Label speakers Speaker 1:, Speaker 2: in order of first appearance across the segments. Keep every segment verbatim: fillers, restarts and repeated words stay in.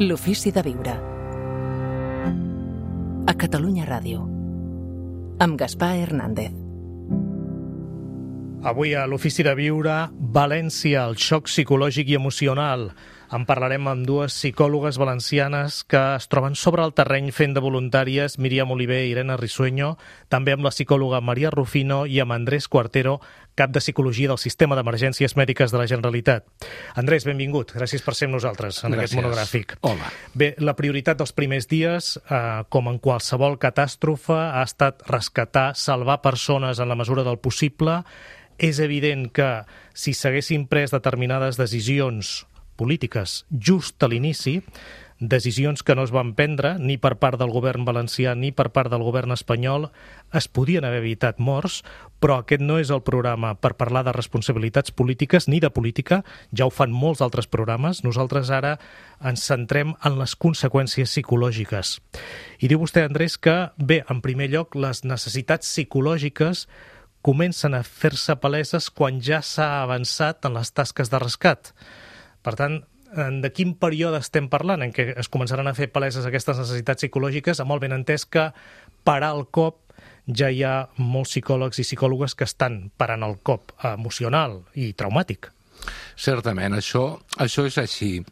Speaker 1: L'ofici de viure. A Catalunya Ràdio. Amb Gaspar Hernández.
Speaker 2: Avui a l'Ofici de Viure, València, el xoc psicològic i emocional. En parlarem amb dues psicòlogues valencianes que es troben sobre el terreny fent de voluntàries, Míriam Oliver i Irene Risueño, també amb la psicòloga Maria Rufino i amb Andrés Cuartero, cap de Psicologia del Sistema d'Emergències Mèdiques de la Generalitat. Andrés, benvingut. Gràcies per ser amb nosaltres en
Speaker 3: Gràcies.
Speaker 2: Aquest monogràfic.
Speaker 3: Hola.
Speaker 2: Bé, la prioritat dels primers dies, eh, com en qualsevol catàstrofe, ha estat rescatar, salvar persones en la mesura del possible. És evident que si s'haguessin pres determinades decisions polítiques just a l'inici, decisions que no es van prendre ni per part del govern valencià ni per part del govern espanyol, es podien haver evitat morts, però aquest no és el programa per parlar de responsabilitats polítiques ni de política, ja ho fan molts altres programes. Nosaltres ara ens centrem en les conseqüències psicològiques. I diu vostè, Andrés, que, bé, en primer lloc, les necessitats psicològiques comencen a fer-se paleses quan ja s'ha avançat en les tasques de rescat. Per tant, de quin període estem parlant en què es començaran a fer paleses aquestes necessitats psicològiques, amb el benentès que parar el cop ja hi ha molts psicòlegs i psicòlogues que estan parant el cop emocional i traumàtic?
Speaker 3: Certament, això, això és així.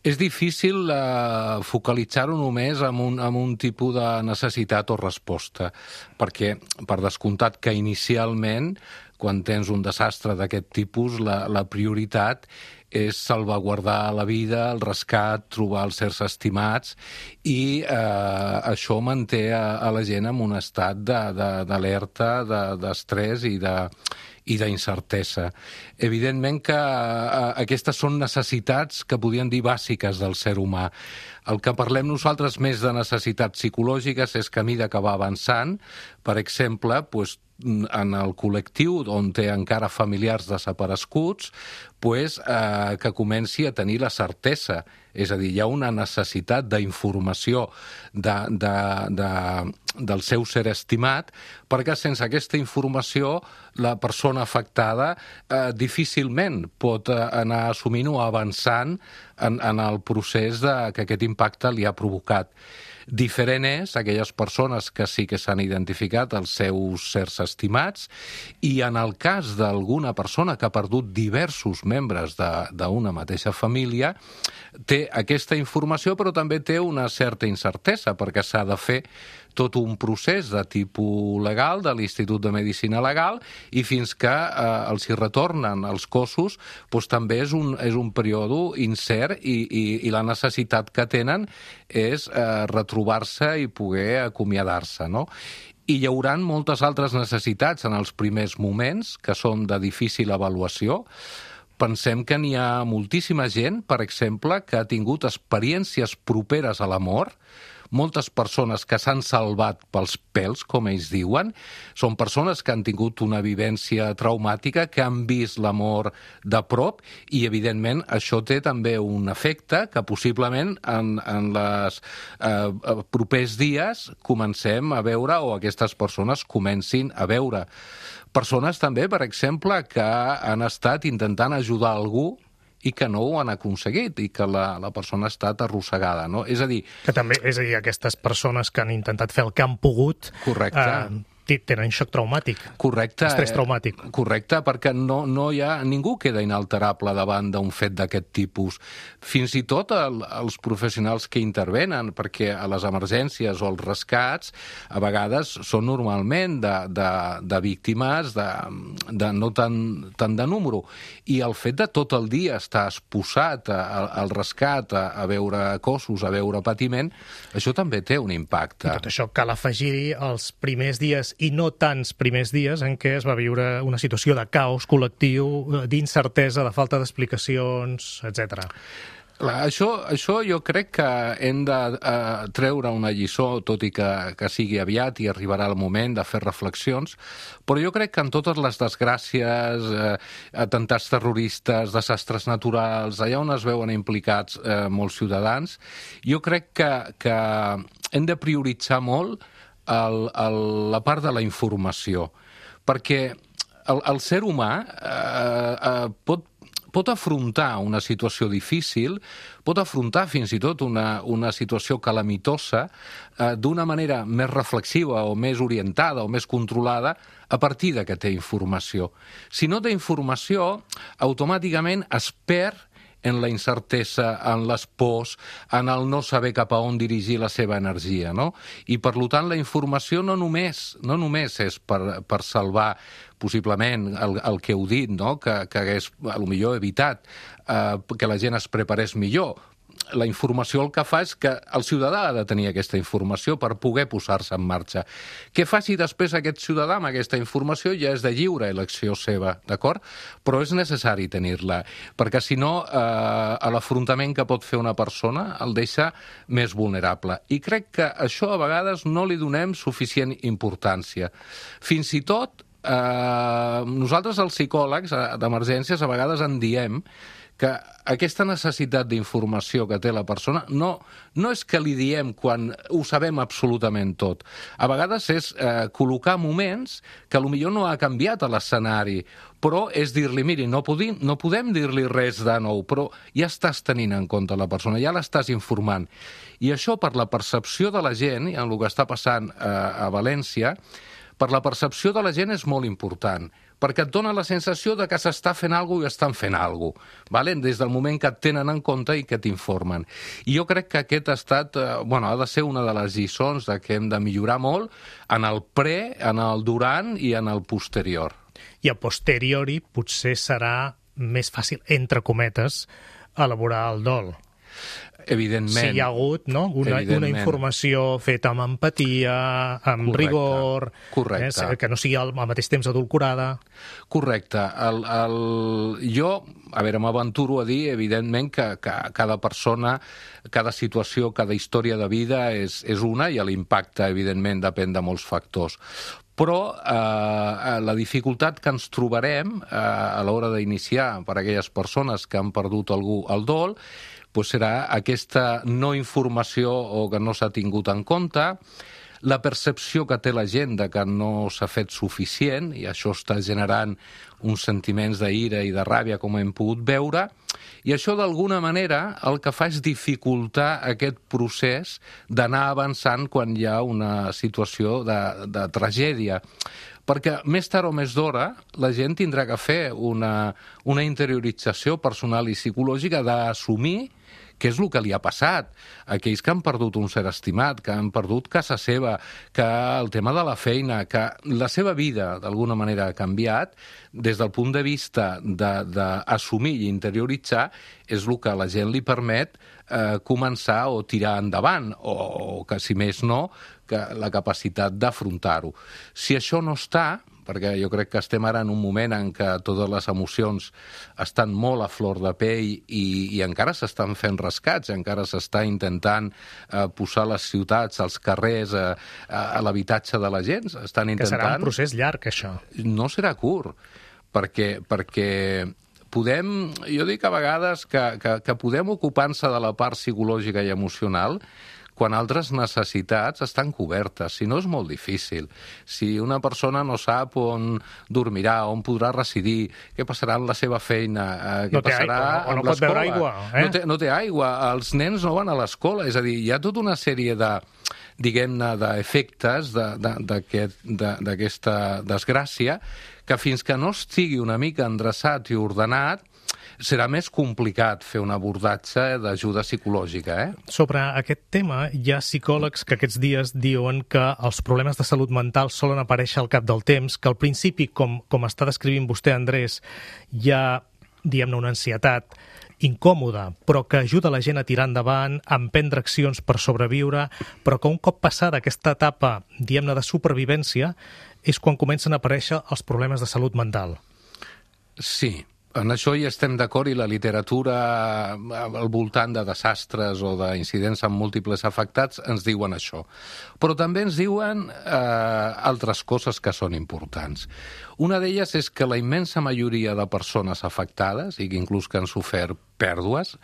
Speaker 3: És difícil eh, focalitzar-ho només en un, en un tipus de necessitat o resposta, perquè, per descomptat que inicialment, quan tens un desastre d'aquest tipus, la, la prioritat és salvaguardar la vida, el rescat, trobar els éssers estimats, i eh, això manté a, a la gent en un estat d'alerta, de, de, d'estrès i de i d'incertesa. Evidentment que eh, aquestes són necessitats que podríem dir bàsiques del ser humà. El que parlem nosaltres més de necessitats psicològiques és que a mesura que va avançant, per exemple, doncs, en el col·lectiu on té encara familiars desapareguts, pues, eh, que comenci a tenir la certesa. És a dir, hi ha una necessitat d'informació de, de, de, del seu ser estimat, perquè sense aquesta informació la persona afectada eh, difícilment pot eh, anar assumint o avançant en, en el procés de, que aquest impacte li ha provocat. Diferent és aquelles persones que sí que s'han identificat els seus sers estimats, i en el cas d'alguna persona que ha perdut diversos membres d'una mateixa família, té aquesta informació però també té una certa incertesa, perquè s'ha de fer tot un procés de tipus legal de l'Institut de Medicina Legal, i fins que eh, els hi retornen els cossos, doncs també és un, és un període incert, i, i, i la necessitat que tenen és eh, retrobar-se i poder acomiadar-se, no? I hi haurà moltes altres necessitats en els primers moments, que són de difícil avaluació. Pensem que n'hi ha moltíssima gent, per exemple, que ha tingut experiències properes a la mort, moltes persones que s'han salvat pels pèls, com ells diuen, són persones que han tingut una vivència traumàtica, que han vist la mort de prop, i evidentment això té també un efecte que possiblement en, en els eh, propers dies comencem a veure, o aquestes persones comencin a veure. Persones també, per exemple, que han estat intentant ajudar algú i que no ho han aconseguit, i que la, la persona ha estat arrossegada, no? És a dir...
Speaker 2: Que també, és a dir, aquestes persones que han intentat fer el que han pogut...
Speaker 3: Correcte.
Speaker 2: Eh, tenen xoc traumàtic.
Speaker 3: Correcte.
Speaker 2: Estrès traumàtic.
Speaker 3: Correcte, perquè no, no hi ha... Ningú queda inalterable davant d'un fet d'aquest tipus. Fins i tot el, els professionals que intervenen, perquè a les emergències o els rescats a vegades són normalment de, de, de víctimes de, de no tant, tant de número. I el fet de tot el dia estar exposat al rescat, a, a veure cossos, a veure patiment, això també té un impacte.
Speaker 2: I tot això cal afegir-hi els primers dies i no tants primers dies en què es va viure una situació de caos col·lectiu, d'incertesa, de falta d'explicacions, etcètera.
Speaker 3: Això, això jo crec que hem de eh, treure una lliçó, tot i que, que sigui aviat i arribarà el moment de fer reflexions, però jo crec que en totes les desgràcies, eh, atemptats terroristes, desastres naturals, allà on es veuen implicats eh, molts ciutadans, jo crec que, que hem de prioritzar molt el, el, la part de la informació, perquè el, el ser humà eh, eh, pot pot afrontar una situació difícil, pot afrontar fins i tot una, una situació calamitosa eh, d'una manera més reflexiva o més orientada o més controlada a partir de que té informació. Si no té informació, automàticament es perd en la incertesa, en les pors, en el no saber cap a on dirigir la seva energia, no? I, per tant, la informació no només, no només és per, per salvar possiblement el, el que heu dit, no? que, que hagués, potser evitat eh, que la gent es preparés millor. La informació el que fa és que el ciutadà ha de tenir aquesta informació per poder posar-se en marxa. Què faci després aquest ciutadà amb aquesta informació ja és de lliure elecció seva, d'acord? Però és necessari tenir-la, perquè si no, eh, l'afrontament que pot fer una persona el deixa més vulnerable. I crec que això a vegades no li donem suficient importància. Fins i tot, eh, nosaltres els psicòlegs d'emergències a vegades en diem que aquesta necessitat d'informació que té la persona no, no és que li diem quan ho sabem absolutament tot. A vegades és eh, col·locar moments que potser no ha canviat l'escenari, però és dir-li, miri, no, podim, no podem dir-li res de nou, però ja estàs tenint en compte la persona, ja l'estàs informant. I això, per la percepció de la gent, i en el que està passant eh, a València, per la percepció de la gent és molt important, perquè et dona la sensació de que s'està fent alguna cosa i estan fent alguna cosa, vale? Des del moment que et tenen en compte i que t'informen. I jo crec que aquest ha estat, eh, bueno, ha de ser una de les lliçons de que hem de millorar molt en el pre, en el durant i en el posterior.
Speaker 2: I a posteriori potser serà més fàcil, entre cometes, elaborar el dol.
Speaker 3: Evidentment.
Speaker 2: Si hi ha hagut, no? una, una informació feta amb empatia, amb Correcte. rigor,
Speaker 3: Correcte.
Speaker 2: Eh, que no sigui al, al mateix temps adulcorada.
Speaker 3: Correcte. El, el... Jo, a veure, m'aventuro a dir, evidentment, que, que cada persona, cada situació, cada història de vida és, és una i l'impacte, evidentment, depèn de molts factors. Però eh, la dificultat que ens trobarem eh, a l'hora d'iniciar per a aquelles persones que han perdut algú al dol doncs serà aquesta no informació o que no s'ha tingut en compte, la percepció que té la gent de que no s'ha fet suficient, i això està generant uns sentiments d'ira i de ràbia, com hem pogut veure, i això d'alguna manera el que fa és dificultar aquest procés d'anar avançant quan hi ha una situació de, de tragèdia. Perquè més tard o més d'hora la gent tindrà que fer una, una interiorització personal i psicològica d'assumir què és el que li ha passat. Aquells que han perdut un ser estimat, que han perdut casa seva, que el tema de la feina, que la seva vida d'alguna manera ha canviat, des del punt de vista d'assumir i interioritzar, és el que a la gent li permet eh, començar o tirar endavant, o, o que, si més no, que la capacitat d'afrontar-ho. Si això no està, perquè jo crec que estem ara en un moment en què totes les emocions estan molt a flor de pell i, i encara s'estan fent rescats, encara s'està intentant eh, posar les ciutats, als carrers, eh, a l'habitatge de la gent. Estan intentant...
Speaker 2: Que serà un procés llarg, això.
Speaker 3: No serà curt, perquè, perquè podem... Jo dic a vegades que, que, que podem ocupar-se de la part psicològica i emocional quan altres necessitats estan cobertes. Si no, és molt difícil. Si una persona no sap on dormirà, on podrà residir, què passarà amb la seva feina, eh, què
Speaker 2: no té
Speaker 3: passarà
Speaker 2: aigua, o no
Speaker 3: amb
Speaker 2: pot beure aigua. Eh?
Speaker 3: No, té, no té aigua, els nens no van a l'escola, és a dir, hi ha tota una sèrie de, diguem-ne, d'efectes d'aquesta desgràcia que fins que no estigui una mica endreçat i ordenat, serà més complicat fer un abordatge d'ajuda psicològica, eh?
Speaker 2: Sobre aquest tema, hi ha psicòlegs que aquests dies diuen que els problemes de salut mental solen aparèixer al cap del temps, que al principi, com, com està descrivint vostè, Andrés, hi ha, diguem-ne, una ansietat incòmoda, però que ajuda la gent a tirar endavant, a emprendre accions per sobreviure, però que un cop passada aquesta etapa, diguem-ne, de supervivència, és quan comencen a aparèixer els problemes de salut mental.
Speaker 3: Sí. En això hi estem d'acord i la literatura al voltant de desastres o d'incidents amb múltiples afectats ens diuen això. Però també ens diuen eh, altres coses que són importants. Una d'elles és que la immensa majoria de persones afectades, i que inclús que han sofert pèrdues,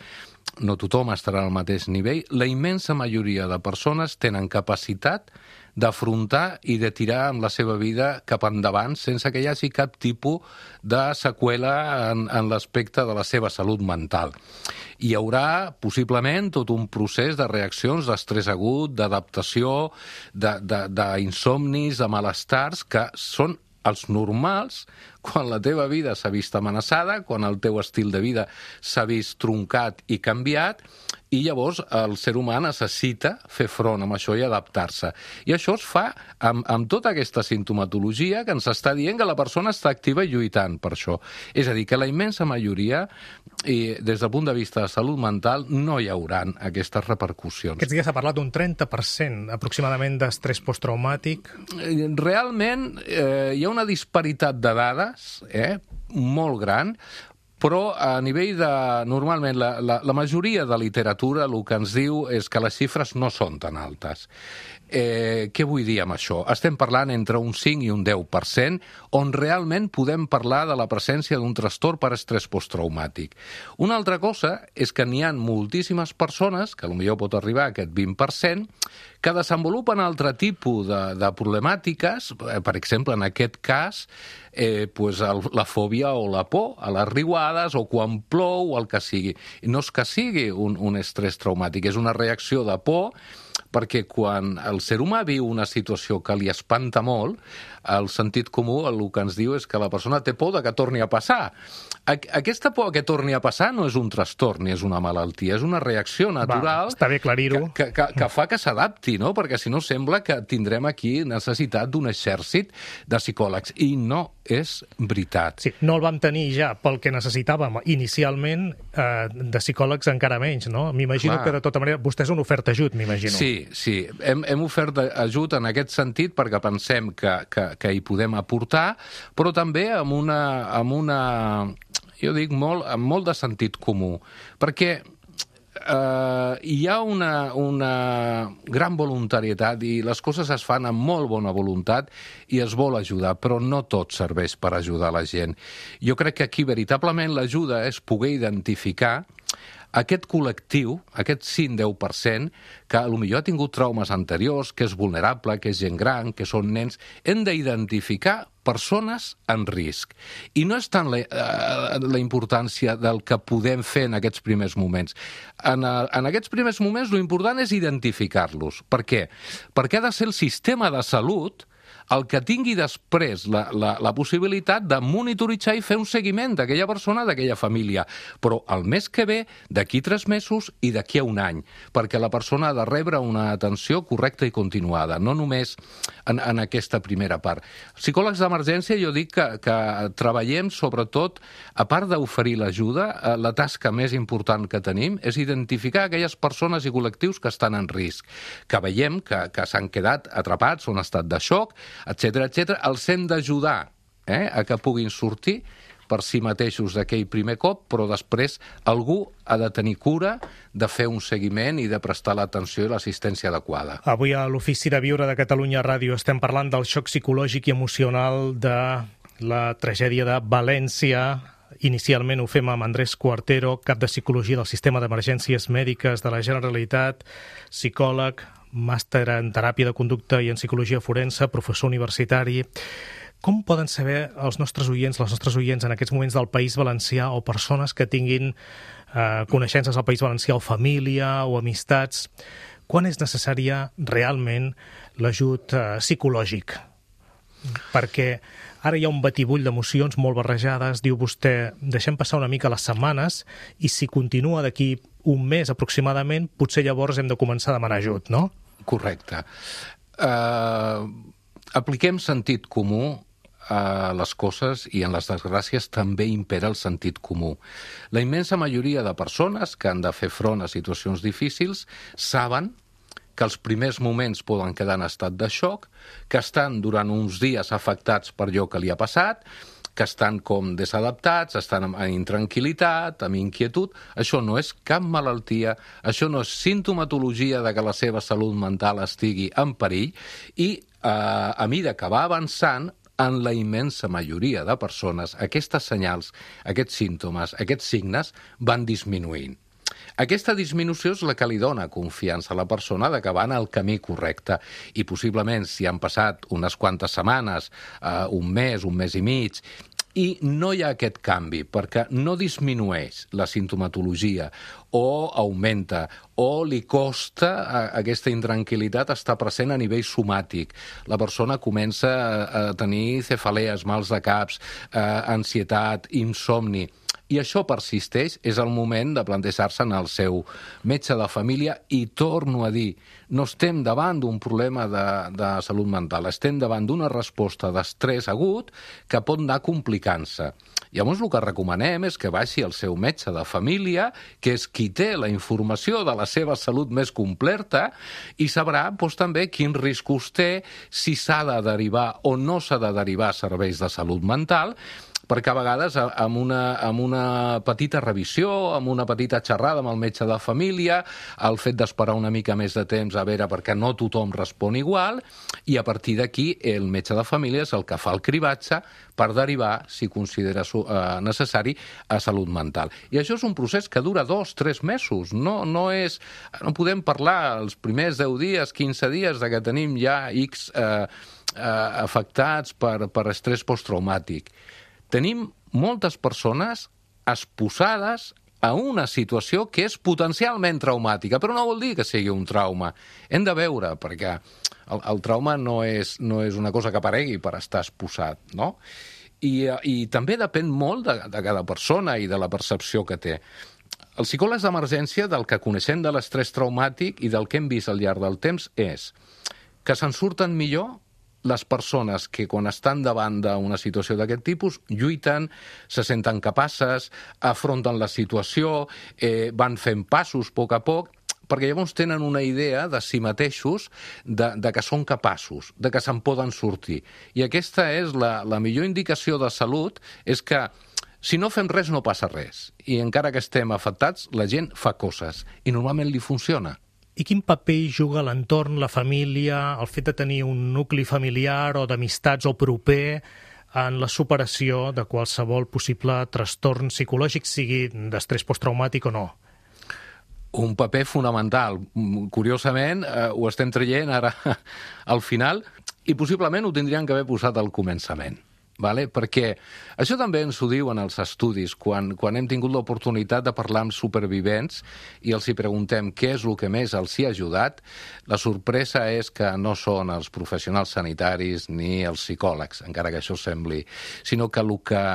Speaker 3: no tothom estarà al mateix nivell, la immensa majoria de persones tenen capacitat d'afrontar i de tirar amb la seva vida cap endavant sense que hi hagi cap tipus de seqüela en, en l'aspecte de la seva salut mental. Hi haurà, possiblement, tot un procés de reaccions d'estrès agut, d'adaptació, d'insomnis, de, de, de malestars, que són els normals quan la teva vida s'ha vist amenaçada, quan el teu estil de vida s'ha vist truncat i canviat, i llavors el ser humà necessita fer front amb això i adaptar-se. I això es fa amb, amb tota aquesta sintomatologia que ens està dient que la persona està activa i lluitant per això. És a dir, que la immensa majoria, i des del punt de vista de salut mental, no hi hauran aquestes repercussions.
Speaker 2: Aquests dies s'ha parlat d'un trenta per cent aproximadament d'estrès posttraumàtic.
Speaker 3: Realment eh, hi ha una disparitat de dades eh, molt gran, però a nivell de... Normalment, la, la, la majoria de literatura el que ens diu és que les xifres no són tan altes. Eh, què vull dir amb això? Estem parlant entre un cinc i un deu per cent, on realment podem parlar de la presència d'un trastorn per estrès posttraumàtic. Una altra cosa és que n'hi ha moltíssimes persones, que potser pot arribar a aquest vint per cent, que desenvolupen altre tipus de, de problemàtiques, per exemple, en aquest cas, eh, pues el, la fòbia o la por a les riuades o quan plou o el que sigui. No és que sigui un, un estrès traumàtic, és una reacció de por, perquè quan el ser humà viu una situació que li espanta molt, el sentit comú el que ens diu és que la persona té por de que torni a passar. Aquesta por que torni a passar no és un trastorn ni és una malaltia, és una reacció natural.
Speaker 2: Va, està bé aclarir-ho.
Speaker 3: Que, que, que fa que s'adapti, no? Perquè si no sembla que tindrem aquí necessitat d'un exèrcit de psicòlegs. I no és veritat.
Speaker 2: Sí, no el vam tenir ja pel que necessitàvem inicialment, eh, de psicòlegs encara menys, no? M'imagino que de tota manera vostè és una oferta ajut, m'imagino.
Speaker 3: Sí, sí. Hem, hem ofert ajut en aquest sentit perquè pensem que, que, que hi podem aportar, però també amb una, amb una jo dic, molt, amb molt de sentit comú. Perquè eh, hi ha una, una gran voluntarietat i les coses es fan amb molt bona voluntat i es vol ajudar, però no tot serveix per ajudar la gent. Jo crec que aquí veritablement l'ajuda és poder identificar aquest col·lectiu, aquest cinc a deu per cent, que potser ha tingut traumes anteriors, que és vulnerable, que és gent gran, que són nens, hem d'identificar persones en risc. I no és tant la, eh, la importància del que podem fer en aquests primers moments. En, en aquests primers moments l'important és identificar-los. Per què? Perquè ha de ser el sistema de salut el que tingui després la, la, la possibilitat de monitoritzar i fer un seguiment d'aquella persona, d'aquella família. Però el mes que ve, d'aquí tres mesos i d'aquí a un any, perquè la persona ha de rebre una atenció correcta i continuada, no només en, en aquesta primera part. Psicòlegs d'emergència, jo dic que, que treballem sobretot, a part d'oferir l'ajuda, la tasca més important que tenim és identificar aquelles persones i col·lectius que estan en risc, que veiem que, que s'han quedat atrapats o en estat de xoc, etcètera, etcètera, els hem d'ajudar eh, a que puguin sortir per si mateixos d'aquell primer cop, però després algú ha de tenir cura de fer un seguiment i de prestar l'atenció i l'assistència adequada.
Speaker 2: Avui a l'Ofici de Viure de Catalunya Ràdio estem parlant del xoc psicològic i emocional de la tragèdia de València. Inicialment ho fem amb Andrés Cuartero, cap de Psicologia del Sistema d'Emergències Mèdiques de la Generalitat, psicòleg, màster en teràpia de conducta i en psicologia forense, professor universitari. Com poden saber els nostres oients, les nostres oients en aquests moments del País Valencià o persones que tinguin eh, coneixences al País Valencià o família o amistats, quan és necessària realment l'ajut eh, psicològic? Perquè ara hi ha un batibull d'emocions molt barrejades, diu vostè, deixem passar una mica les setmanes i si continua d'aquí un mes aproximadament, potser llavors hem de començar a demanar ajut, no?
Speaker 3: Correcte. Uh, apliquem sentit comú a les coses i en les desgràcies també impera el sentit comú. La immensa majoria de persones que han de fer front a situacions difícils saben que els primers moments poden quedar en estat de xoc, que estan durant uns dies afectats per allò que li ha passat, que estan com desadaptats, estan amb intranquil·litat, amb inquietud. Això no és cap malaltia, això no és sintomatologia de que la seva salut mental estigui en perill i eh, a mesura que va avançant, en la immensa majoria de persones, aquestes senyals, aquests símptomes, aquests signes van disminuint. Aquesta disminució és la que li dona confiança a la persona de que va en el camí correcte i possiblement si han passat unes quantes setmanes, eh, un mes, un mes i mig, i no hi ha aquest canvi perquè no disminueix la sintomatologia o augmenta o li costa a aquesta intranquil·litat estar present a nivell somàtic. La persona comença a tenir cefalees, mals de caps, eh, ansietat, insomni. I això persisteix, és el moment de plantejar-se en el seu metge de família i torno a dir, no estem davant d'un problema de, de salut mental, estem davant d'una resposta d'estrès agut que pot anar complicant-se. Llavors el que recomanem és que vagi al seu metge de família, que és qui té la informació de la seva salut més completa i sabrà doncs, també quins riscos té, si s'ha de derivar o no s'ha de derivar a serveis de salut mental, perquè a vegades amb una, amb una petita revisió, amb una petita xerrada amb el metge de família, el fet d'esperar una mica més de temps a veure perquè no tothom respon igual, i a partir d'aquí el metge de família és el que fa el cribatge per derivar, si considera necessari, a salut mental. I això és un procés que dura dos, tres mesos. No, no, és, no podem parlar els primers deu dies, quinze dies, de que tenim ja X eh, eh, afectats per, per estrès posttraumàtic. Tenim moltes persones exposades a una situació que és potencialment traumàtica, però no vol dir que sigui un trauma. Hem de veure, perquè el, el trauma no és, no és una cosa que aparegui per estar exposat, no? I, i també depèn molt de, de cada persona i de la percepció que té. Els psicòlegs d'emergència, del que coneixem de l'estrès traumàtic i del que hem vist al llarg del temps, és que se'n surten millor les persones que quan estan davant d'una situació d'aquest tipus lluiten, se senten capaces, afronten la situació, eh, van fent passos a poc a poc, perquè llavors tenen una idea de si mateixos, de, de que són capaços, de que se'n poden sortir. I aquesta és la, la millor indicació de salut, és que si no fem res no passa res. I encara que estem afectats, la gent fa coses i normalment li funciona.
Speaker 2: I quin paper hi juga l'entorn, la família, el fet de tenir un nucli familiar o d'amistats o proper en la superació de qualsevol possible trastorn psicològic, sigui d'estrès posttraumàtic o no?
Speaker 3: Un paper fonamental. Curiosament, eh, ho estem traient ara al final i possiblement ho tindrien que haver posat al començament. Vale? Perquè això també ens ho diuen els estudis, quan, quan hem tingut l'oportunitat de parlar amb supervivents i els hi preguntem què és el que més els hi ha ajudat, la sorpresa és que no són els professionals sanitaris ni els psicòlegs, encara que això sembli, sinó que el que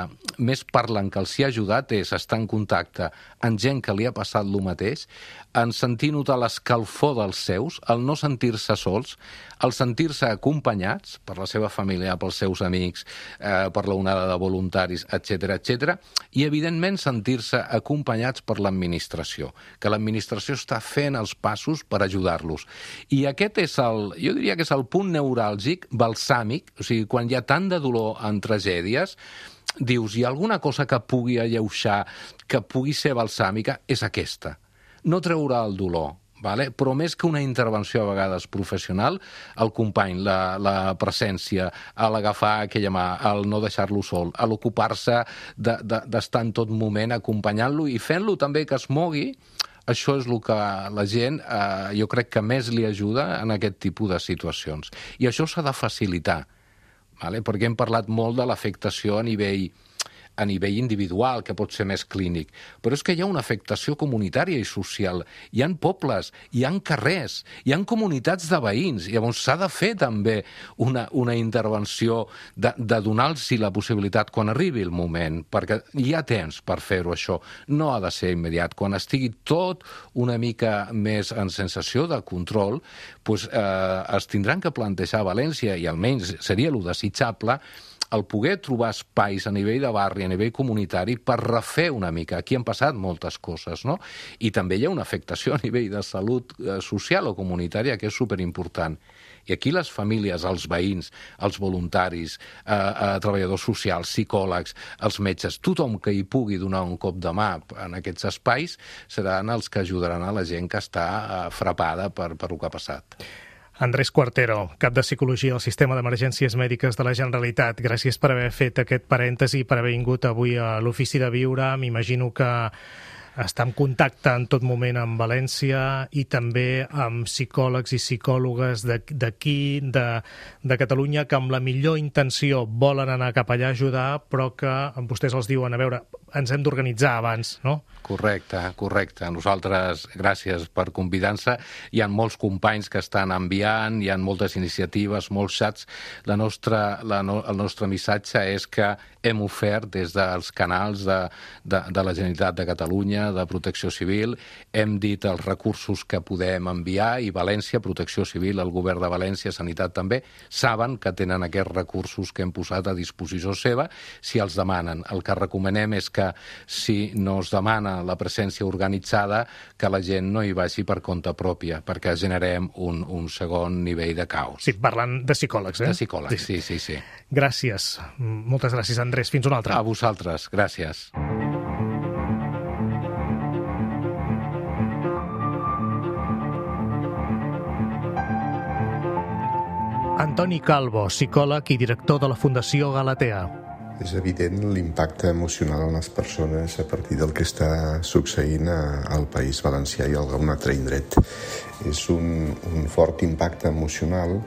Speaker 3: més parlen que els hi ha ajudat és estar en contacte amb gent que li ha passat el mateix, en sentir notar l'escalfor dels seus, el no sentir-se sols, el sentir-se acompanyats per la seva família, pels seus amics, eh, per la onada de voluntaris, etcètera, etcètera, i evidentment sentir-se acompanyats per l'administració, que l'administració està fent els passos per ajudar-los. I aquest és el, jo diria que és el punt neuràlgic, balsàmic, o sigui, quan hi ha tant de dolor en tragèdies, dius, hi ha alguna cosa que pugui alleujar, que pugui ser balsàmica, és aquesta. No treurà el dolor, vale? Però més que una intervenció a vegades professional, el company, la, la presència, l'agafar aquella mà, el no deixar-lo sol, l'ocupar-se de, de, d'estar en tot moment acompanyant-lo i fent-lo també que es mogui, això és el que la gent, eh, jo crec que més li ajuda en aquest tipus de situacions. I això s'ha de facilitar, vale? Perquè hem parlat molt de l'afectació a nivell a nivell individual, que pot ser més clínic. Però és que hi ha una afectació comunitària i social. Hi ha pobles, hi ha carrers, hi ha comunitats de veïns. Llavors s'ha de fer també una, una intervenció de, de donar-los la possibilitat quan arribi el moment, perquè hi ha temps per fer-ho això. No ha de ser immediat. Quan estigui tot una mica més en sensació de control, doncs, eh, es tindran que plantejar a València, i almenys seria el desitjable, el poder trobar espais a nivell de barri, a nivell comunitari, per refer una mica. Aquí han passat moltes coses, no? I també hi ha una afectació a nivell de salut social o comunitària que és superimportant. I aquí les famílies, els veïns, els voluntaris, eh, eh, treballadors socials, psicòlegs, els metges, tothom que hi pugui donar un cop de mà en aquests espais seran els que ajudaran a la gent que està eh, frapada per, per el que ha passat.
Speaker 2: Andrés Cuartero, cap de Psicologia al Sistema d'Emergències Mèdiques de la Generalitat. Gràcies per haver fet aquest parèntesi, per haver vingut avui a l'Ofici de Viure. M'imagino que està en contacte en tot moment amb València i també amb psicòlegs i psicòlogues d'aquí, de, de Catalunya, que amb la millor intenció volen anar cap allà a ajudar, però que vostès els diuen, a veure, ens hem d'organitzar abans, no?
Speaker 3: Correcte, correcte. Nosaltres, gràcies per convidar-nos. Hi ha molts companys que estan enviant, hi ha moltes iniciatives, molts xats. La nostra, la no, el nostre missatge és que hem ofert des dels canals de, de, de la Generalitat de Catalunya, de Protecció Civil, hem dit els recursos que podem enviar i València, Protecció Civil, el govern de València, Sanitat també, saben que tenen aquests recursos que hem posat a disposició seva si els demanen. El que recomanem és que si no es demana la presència organitzada, que la gent no hi vagi per compte pròpia, perquè generem un, un segon nivell de caos.
Speaker 2: Sí, parlant de psicòlegs, eh?
Speaker 3: De psicòlegs, sí, sí, sí.
Speaker 2: Gràcies. Moltes gràcies, Andrés. Fins una altra.
Speaker 3: A vosaltres. Gràcies.
Speaker 2: Antoni Calvo, psicòleg i director de la Fundació Galatea.
Speaker 4: És evident l'impacte emocional en les persones a partir del que està succeint al País Valencià i a algun altre indret. És un, un fort impacte emocional,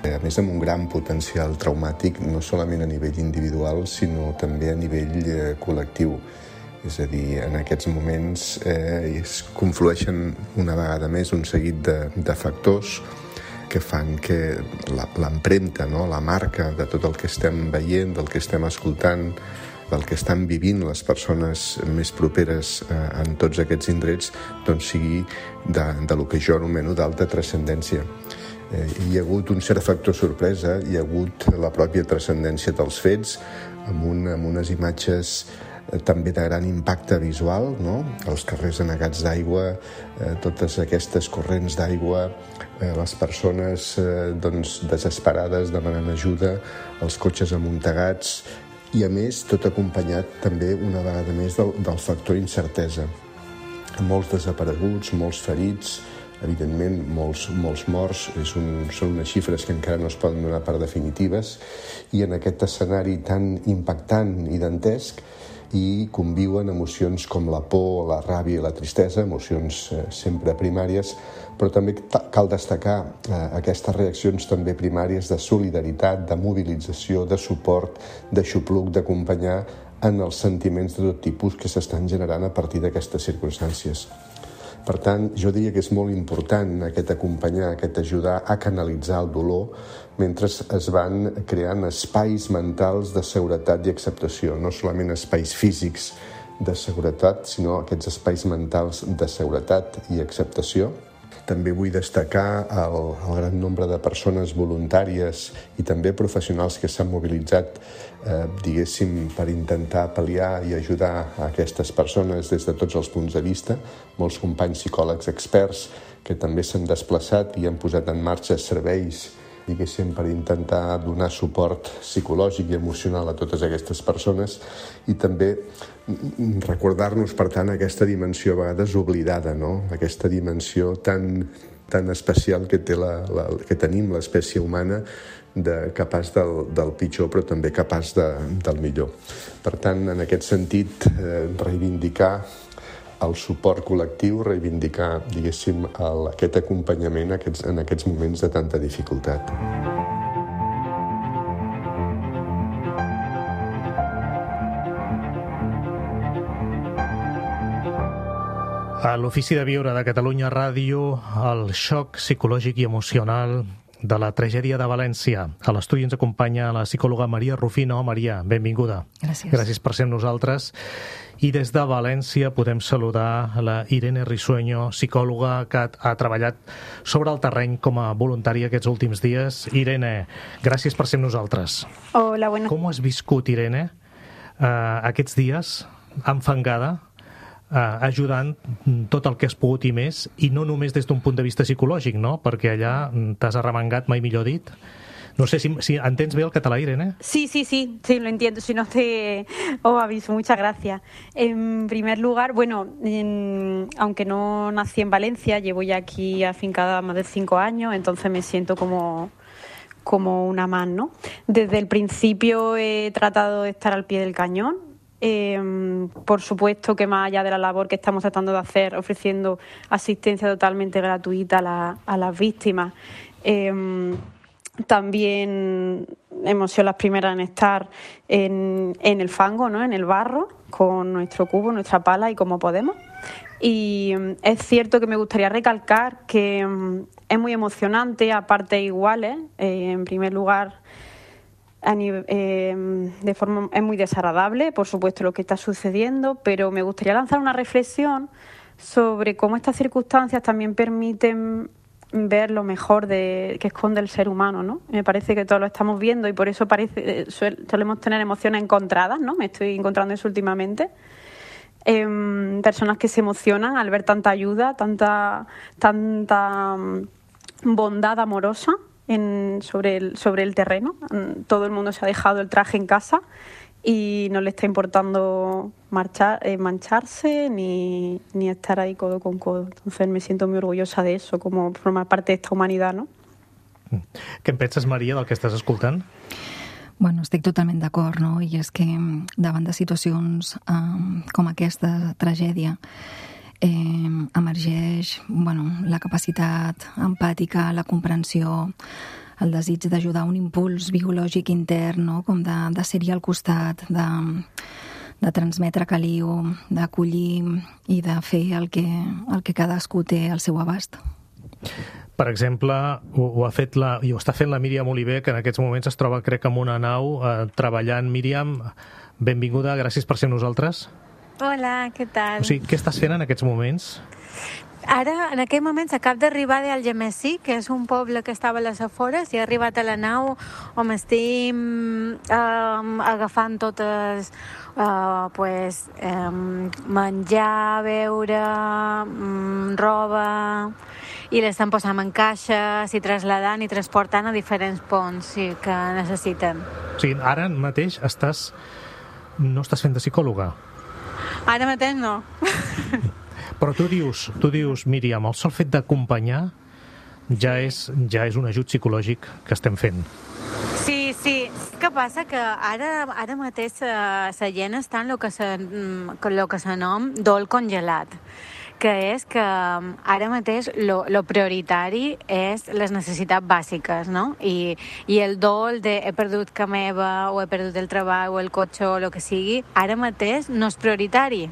Speaker 4: a més amb un gran potencial traumàtic, no solament a nivell individual, sinó també a nivell eh, col·lectiu. És a dir, en aquests moments eh, es conflueixen una vegada més un seguit de, de factors que fan que l'empremta, no? La marca de tot el que estem veient, del que estem escoltant, del que estan vivint les persones més properes eh, en tots aquests indrets, doncs sigui de, de lo que jo anomeno d'alta transcendència. Eh, hi ha hagut un cert factor sorpresa, hi ha hagut la pròpia transcendència dels fets, amb, un, amb unes imatges també de gran impacte visual, no? Els carrers anegats d'aigua, eh, totes aquestes corrents d'aigua, eh, les persones eh, doncs, desesperades demanant ajuda, els cotxes amuntegats i, a més, tot acompanyat també una vegada més del, del factor incertesa. Molts desapareguts, molts ferits, evidentment molts, molts morts, és un, són unes xifres que encara no es poden donar per definitives, i en aquest escenari tan impactant i dantesc i conviuen emocions com la por, la ràbia i la tristesa, emocions eh, sempre primàries, però també cal destacar eh, aquestes reaccions també primàries de solidaritat, de mobilització, de suport, d'aixopluc, d'acompanyar en els sentiments de tot tipus que s'estan generant a partir d'aquestes circumstàncies. Per tant, jo diria que és molt important aquest acompanyar, aquest ajudar a canalitzar el dolor mentre es van creant espais mentals de seguretat i acceptació, no solament espais físics de seguretat, sinó aquests espais mentals de seguretat i acceptació. També vull destacar el, el gran nombre de persones voluntàries i també professionals que s'han mobilitzat, eh, diguéssim, per intentar pal·liar i ajudar a aquestes persones des de tots els punts de vista. Molts companys psicòlegs experts que també s'han desplaçat i han posat en marxa serveis, diguéssim, per intentar donar suport psicològic i emocional a totes aquestes persones i també recordar-nos, per tant, aquesta dimensió a vegades oblidada, no? Aquesta dimensió tan, tan especial que, té la, la, que tenim l'espècie humana, de, capaç del, del pitjor però també capaç de, del millor. Per tant, en aquest sentit, eh, reivindicar el suport col·lectiu, reivindicar, diguéssim, el, aquest acompanyament aquests, en aquests moments de tanta dificultat.
Speaker 2: A l'Ofici de Viure de Catalunya Ràdio, el xoc psicològic i emocional de la tragèdia de València. A l'estudi ens acompanya la psicòloga Maria Rufino. Maria, benvinguda.
Speaker 5: Gràcies.
Speaker 2: Gràcies per ser amb nosaltres. I des de València podem saludar la Irene Risueño, psicòloga que ha treballat sobre el terreny com a voluntària aquests últims dies. Irene, gràcies per ser amb nosaltres.
Speaker 5: Hola, bueno.
Speaker 2: Com has viscut, Irene, uh, aquests dies enfangada, Uh, ajudant tot el que has pogut i més, i no només des d'un punt de vista psicològic, no? Perquè allà t'has arremangat, mai millor dit. No sé si, si entens bé el català, Irene.
Speaker 5: Sí, sí, sí, sí, lo entiendo. Si no te os aviso, muchas gracias. En primer lugar, bueno, en, aunque no nací en Valencia, llevo ya aquí afincada más de cinco años, entonces me siento como... como una más, ¿no? Desde el principio he tratado de estar al pie del cañón, Eh, por supuesto que más allá de la labor que estamos tratando de hacer, ofreciendo asistencia totalmente gratuita a, la, a las víctimas, eh, también hemos sido las primeras en estar en, en el fango, ¿no? En el barro, con nuestro cubo, nuestra pala y como podemos. Y es cierto que me gustaría recalcar que es muy emocionante a partes iguales. Eh, en primer lugar, a nivel, eh, de forma es muy desagradable, por supuesto, lo que está sucediendo, pero me gustaría lanzar una reflexión sobre cómo estas circunstancias también permiten ver lo mejor de, que esconde el ser humano, ¿no? Me parece que todos lo estamos viendo y por eso parece solemos tener emociones encontradas, ¿no? Me estoy encontrando eso últimamente. Eh, personas que se emocionan al ver tanta ayuda, tanta, tanta bondad amorosa en, sobre, el, sobre el terreno. Todo el mundo se ha dejado el traje en casa y no le está importando marchar, eh, mancharse ni, ni estar ahí codo con codo. Entonces me siento muy orgullosa de eso, como formar parte de esta humanidad, no?
Speaker 2: Què en penses, Maria, del que estàs escoltant?
Speaker 6: Bueno, estic totalment d'acord, no? I és que davant de situacions eh, com aquesta tragèdia eh, emergeix bueno, la capacitat empàtica, la comprensió, el desig d'ajudar, un impuls biològic intern, no? Com de, de ser-hi al costat, de, de transmetre caliu, d'acollir i de fer el que, el que cadascú té al seu abast.
Speaker 2: Per exemple, ho, ho ha fet la, i ho està fent la Míriam Oliver, que en aquests moments es troba, crec, en una nau eh, treballant. Míriam, benvinguda, gràcies per ser amb nosaltres.
Speaker 7: Hola, què tal?
Speaker 2: O sigui, què estàs fent en aquests moments?
Speaker 7: Ara, en aquell moment, acabo d'arribar d'Algemesí, que és un poble que estava a les afores, i he arribat a la nau on estic um, agafant totes uh, pues, um, menjar, beure, um, roba, i l'estan posant en caixes i traslladant i transportant a diferents ponts sí, que necessiten.
Speaker 2: O sigui, ara mateix estàs... no estàs fent de psicòloga?
Speaker 7: Ara mateix no.
Speaker 2: Però tu dius, tu dius, Míriam, el sol fet d'acompanyar ja és, ja és un ajut psicològic que estem fent.
Speaker 7: Sí, sí. Què passa? Que ara, ara mateix la gent està en el que se, lo que se nom dol congelat, que és que ara mateix lo, lo prioritari és les necessitats bàsiques, no? I, i el dol de he perdut ca meva, o he perdut el treball, o el cotxe, o el que sigui, ara mateix no és prioritari.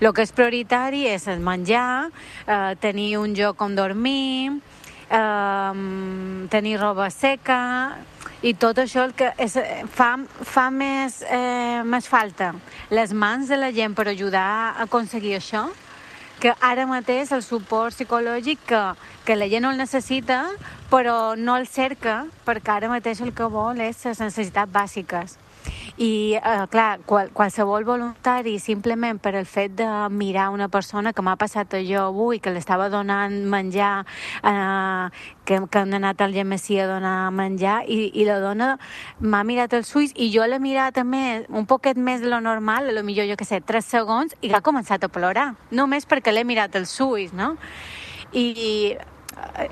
Speaker 7: El que és prioritari és el menjar, eh, tenir un lloc on dormir, eh, tenir roba seca, i tot això el que és, fa, fa més, eh, més falta les mans de la gent per ajudar a aconseguir això, que ara mateix el suport psicològic que, que la gent no el necessita, però no el cerca, perquè ara mateix el que vol és les necessitats bàsiques. I, eh, clar, qual, qualsevol voluntari, simplement per el fet de mirar una persona, que m'ha passat jo avui, que l'estava donant menjar, eh, que, que han anat al Gemesí a donar menjar, i, i la dona m'ha mirat els ulls, i jo l'he mirat també un poquet més de lo normal, a lo millor, jo què sé, tres segons, i ha començat a plorar, només perquè l'he mirat els ulls, no? I, i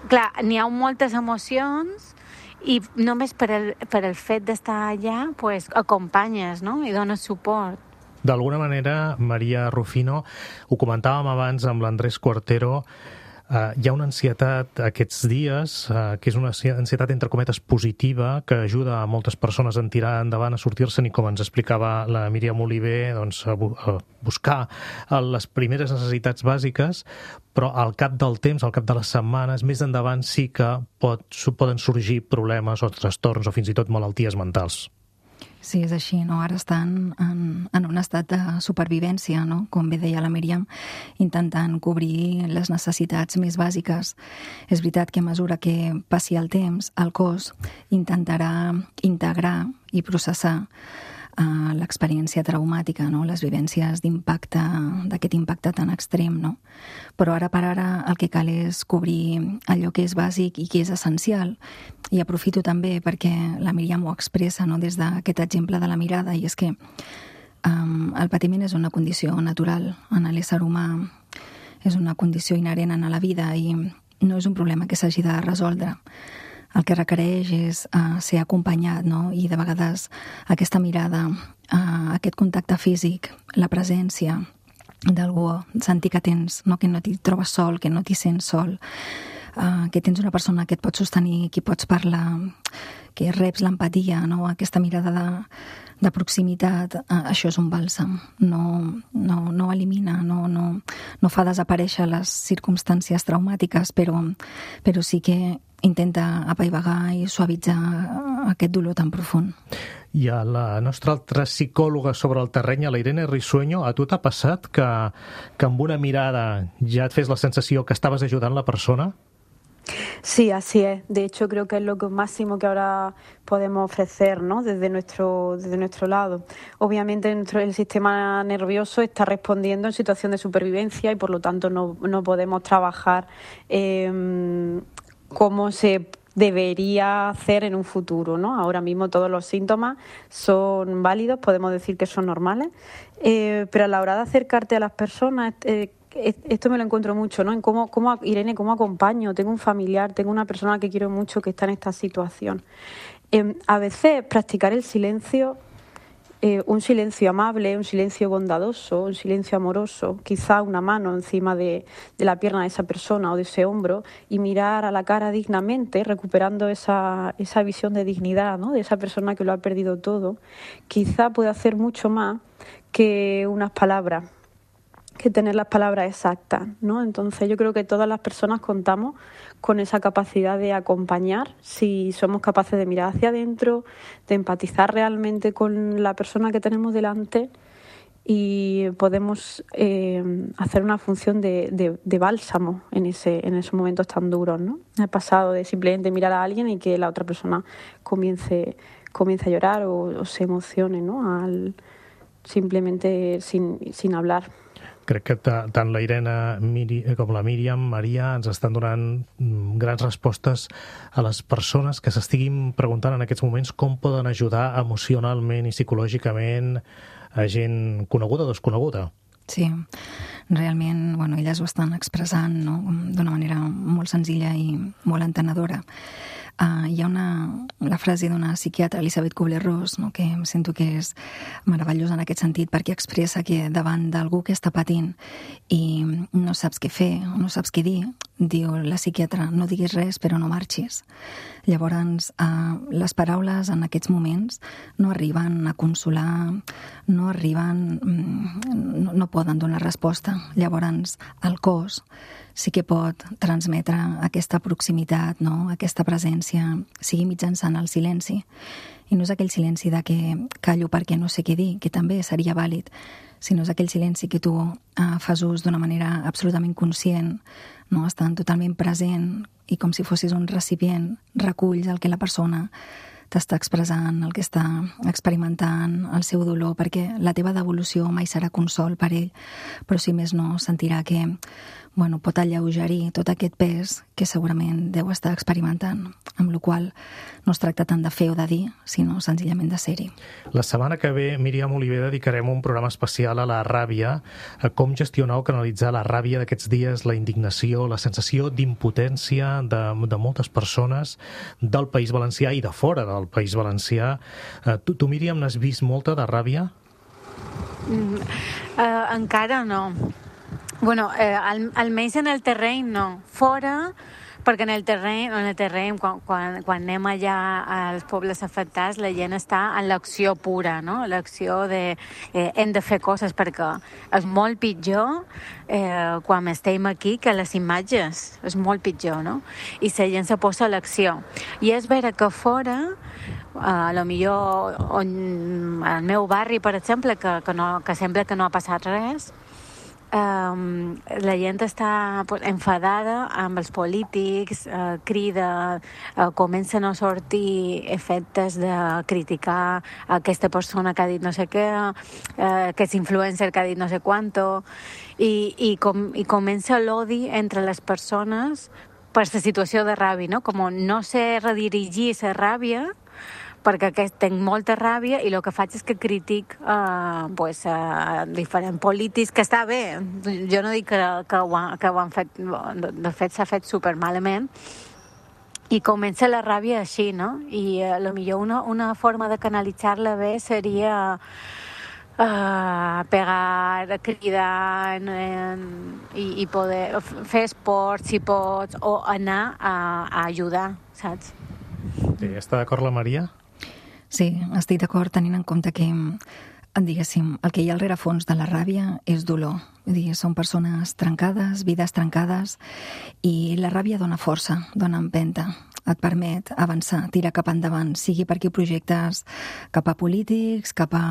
Speaker 7: clar, n'hi ha moltes emocions, i només per el, per el fet d'estar allà pues, acompanyes, no? I dones suport.
Speaker 2: D'alguna manera, Maria Rufino, ho comentàvem abans amb l'Andrés Cuartero, Uh, hi ha una ansietat aquests dies, uh, que és una ansietat entre cometes positiva, que ajuda a moltes persones a tirar endavant, a sortir-se'n, i com ens explicava la Míriam Oliver, doncs, a, bu a buscar les primeres necessitats bàsiques, però al cap del temps, al cap de les setmanes, més endavant sí que pot, poden sorgir problemes o trastorns o fins i tot malalties mentals.
Speaker 6: Sí, és així, no? Ara estan en, en un estat de supervivència, no? Com bé deia la Míriam, intentant cobrir les necessitats més bàsiques. És veritat que a mesura que passi el temps, el cos intentarà integrar i processar uh, l'experiència traumàtica, no? Les vivències d'impacte, d'aquest impacte tan extrem, no? Però ara per ara el que cal és cobrir allò que és bàsic i que és essencial. I aprofito també perquè la Míriam ho expressa, no? Des d'aquest exemple de la mirada, i és que um, el patiment és una condició natural en l'ésser humà, és una condició inherent a la vida i no és un problema que s'hagi de resoldre. El que requereix és uh, ser acompanyat, no? I de vegades aquesta mirada uh, aquest contacte físic, la presència d'algú, sentir que tens, no? Que no t'hi trobes sol, que no t'hi sents sol, uh, que tens una persona que et pot sostenir, que pots parlar, que reps l'empatia, no? Aquesta mirada de, de proximitat, uh, això és un bàlsam. No, no, no elimina, no, no, no fa desaparèixer les circumstàncies traumàtiques, però, però sí que intenta apaivagar i suavitzar aquest dolor tan profund.
Speaker 2: I a la nostra altra psicòloga sobre el terreny, a la Irene Risueño, a tu t'ha passat que, que amb una mirada ja et fes la sensació que estaves ajudant la persona?
Speaker 5: Sí, así es. De hecho, creo que es lo máximo que ahora podemos ofrecer, ¿no? Desde nuestro, desde nuestro lado. Obviamente, nuestro, el sistema nervioso está respondiendo en situación de supervivencia y, por lo tanto, no, no podemos trabajar eh, como se debería hacer en un futuro, ¿no? Ahora mismo todos los síntomas son válidos, podemos decir que son normales, eh, pero a la hora de acercarte a las personas, eh, esto me lo encuentro mucho, ¿no? En cómo, cómo, Irene, cómo acompaño, tengo un familiar, tengo una persona que quiero mucho que está en esta situación. Eh, a veces practicar el silencio, eh, un silencio amable, un silencio bondadoso, un silencio amoroso, quizá una mano encima de, de la pierna de esa persona o de ese hombro y mirar a la cara dignamente, recuperando esa, esa visión de dignidad, ¿no? De esa persona que lo ha perdido todo, quizá puede hacer mucho más que unas palabras, que tener las palabras exactas, ¿no? Entonces yo creo que todas las personas contamos con esa capacidad de acompañar, si somos capaces de mirar hacia adentro, de empatizar realmente con la persona que tenemos delante y podemos eh, hacer una función de, de, de bálsamo en, ese, en esos momentos tan duros, ¿no? He pasado de simplemente mirar a alguien y que la otra persona comience, comience a llorar o, o se emocione, ¿no? Al, simplemente sin, sin hablar.
Speaker 2: Crec que tant la Irene com la Míriam, Maria, ens estan donant grans respostes a les persones que s'estiguin preguntant en aquests moments com poden ajudar emocionalment i psicològicament a gent coneguda o desconeguda.
Speaker 6: Sí, realment, bueno, elles ho estan expressant, no? D'una manera molt senzilla i molt entenedora. Uh, hi ha una, la frase d'una psiquiatra, Elisabeth Kubler-Ross, no? Que em sento que és meravellosa en aquest sentit perquè expressa que davant d'algú que està patint i no saps què fer, no saps què dir, diu la psiquiatra, no diguis res però no marxis. Llavors, uh, les paraules en aquests moments no arriben a consolar, no arriben, no, no poden donar resposta. Llavors, el cos sí que pot transmetre aquesta proximitat, no? Aquesta presència, sigui mitjançant el silenci. I no és aquell silenci de que callo perquè no sé què dir, que també seria vàlid, sinó és aquell silenci que tu eh, fas ús d'una manera absolutament conscient, no? Estant totalment present i com si fossis un recipient, reculls el que la persona t'està expressant, el que està experimentant, el seu dolor, perquè la teva devolució mai serà consol per ell, però si més no sentirà que bueno, pot alleugerir tot aquest pes que segurament deu estar experimentant, amb la qual no es tracta tant de fer o de dir, sinó senzillament de ser-hi.
Speaker 2: La setmana que ve, Míriam Oliver, dedicarem un programa especial a la ràbia, a com gestionar o canalitzar la ràbia d'aquests dies, la indignació, la sensació d'impotència de, de moltes persones del País Valencià i de fora del País Valencià. Tu, tu Míriam, n'has vist molta de ràbia?
Speaker 7: Mm, uh, encara no. Bueno, eh, al, almenys en el terreny no. Fora, perquè en el terreny, en el terreny quan, quan, quan anem allà als pobles afectats, la gent està en l'acció pura, no? L'acció de eh, hem de fer coses, perquè és molt pitjor eh, quan estem aquí que les imatges. És molt pitjor, no? I la gent se posa a l'acció. I és vera que fora, a lo millor on, al meu barri, per exemple, que, que, no, que sembla que no ha passat res, Um, la gent està enfadada amb els polítics, uh, crida, uh, comencen a sortir efectes de criticar aquesta persona que ha dit no sé què, uh, aquest influencer que ha dit no sé quanto, i, i, com, i comença l'odi entre les persones per la situació de ràbia, no? Com no sé redirigir la ràbia, perquè aquest, tenc molta ràbia i el que faig és que critic eh, pues, eh, diferents polítics, que està bé, jo no dic que, que, ho, ha, que ho han fet, de fet s'ha fet supermalament, i comença la ràbia així, no? I eh, potser una, una forma de canalitzar-la bé seria uh, pegar, cridar eh, i, i poder fer esport si pots, o anar a, a ajudar, saps?
Speaker 2: Sí, està d'acord la Maria?
Speaker 6: Sí, estic d'acord tenint en compte que, diguéssim, el que hi ha al rerefons de la ràbia és dolor. Vull dir, són persones trencades, vides trencades, i la ràbia dona força, dona empenta, et permet avançar, tirar cap endavant, sigui per aquí projectes cap a polítics, cap a,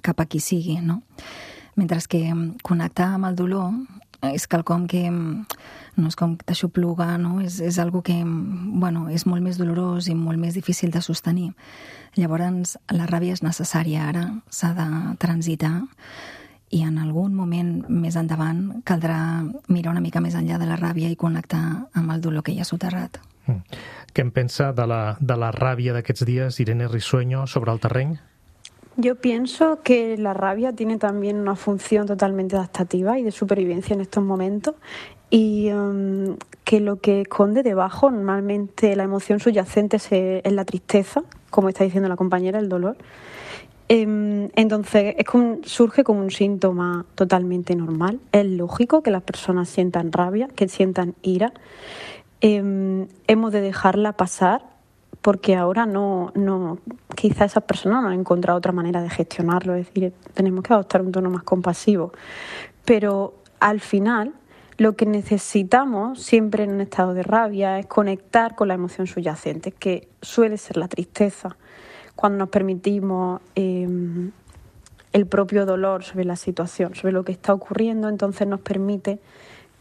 Speaker 6: cap a qui sigui, no? Mentre que connectar amb el dolor és quelcom que no és com t'aixopluga, no? És, és algo que, bueno, és molt més dolorós i molt més difícil de sostenir. Llavors, la ràbia és necessària ara, s'ha de transitar, i en algun moment més endavant caldrà mirar una mica més enllà de la ràbia i connectar amb el dolor que hi ha soterrat.
Speaker 2: Mm. Què en pensa de la, de la ràbia d'aquests dies, Irene Risueño, sobre el terreny?
Speaker 5: Yo pienso que la rabia tiene también una función totalmente adaptativa y de supervivencia en estos momentos, y um, que lo que esconde debajo, normalmente la emoción subyacente es, es la tristeza, como está diciendo la compañera, el dolor. Eh, entonces es como, surge como un síntoma totalmente normal. Es lógico que las personas sientan rabia, que sientan ira. Eh, hemos de dejarla pasar, porque ahora no, no, quizá esas personas no han encontrado otra manera de gestionarlo, es decir, tenemos que adoptar un tono más compasivo. Pero al final, lo que necesitamos siempre en un estado de rabia es conectar con la emoción subyacente, que suele ser la tristeza. Cuando nos permitimos eh, el propio dolor sobre la situación, sobre lo que está ocurriendo, entonces nos permite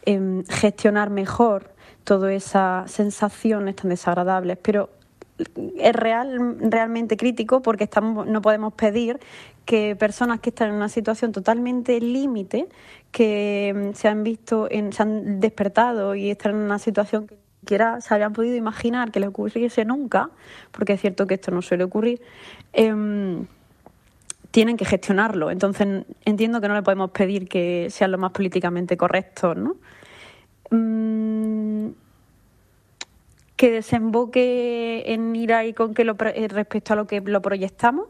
Speaker 5: eh, gestionar mejor todas esas sensaciones tan desagradables. Pero es real, realmente crítico, porque estamos, no podemos pedir que personas que están en una situación totalmente límite, que se han visto, en, se han despertado y están en una situación que ni siquiera se habían podido imaginar que les ocurriese nunca, porque es cierto que esto no suele ocurrir, eh, tienen que gestionarlo. Entonces entiendo que no le podemos pedir que sean lo más políticamente correctos, ¿no? Mm, que desemboque en ira y con que lo, respecto a lo que lo proyectamos.